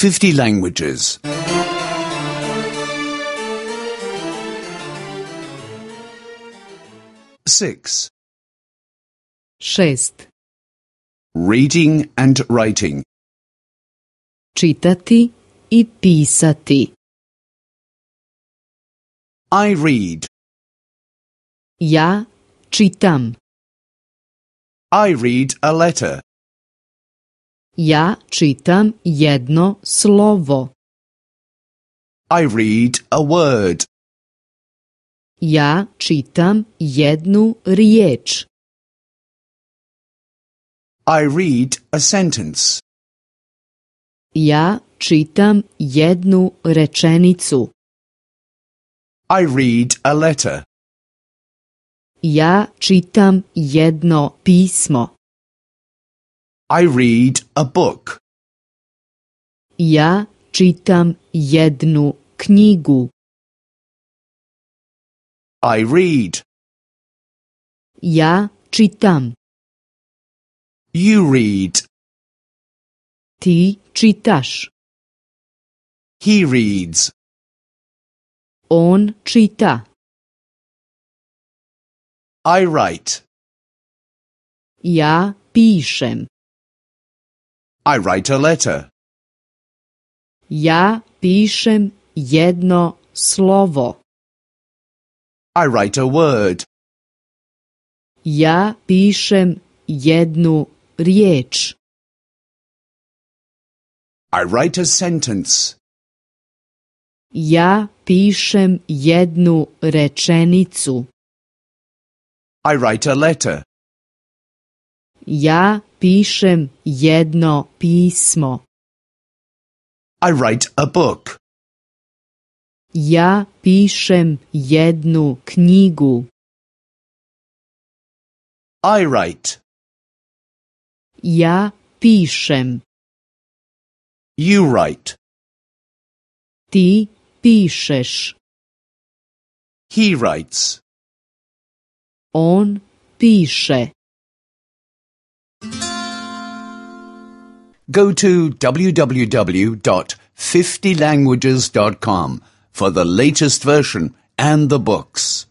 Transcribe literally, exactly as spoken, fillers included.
fifty languages. Six. Šest. Reading and writing. Čitati i pisati. I read. Ja čitam. I read a letter. Ja čitam jedno slovo. I read a word. Ja čitam jednu riječ. I read a sentence. Ja čitam jednu rečenicu. I read a letter. Ja čitam jedno pismo. I read a book. Ja čitam jednu knjigu. I read. Ja čitam. You read. Ti čitaš. He reads. On čita. I write. Ja pišem. I write a letter. Ja pišem jedno slovo. I write a word. Ja pišem jednu riječ. I write a sentence. Ja pišem jednu rečenicu. I write a letter. Ja pišem jedno pismo. I write a book. Ja pišem jednu knjigu. I write. Ja pišem. You write. Ti pišeš. He writes. On piše. Go to w w w dot fifty languages dot com for the latest version and the books.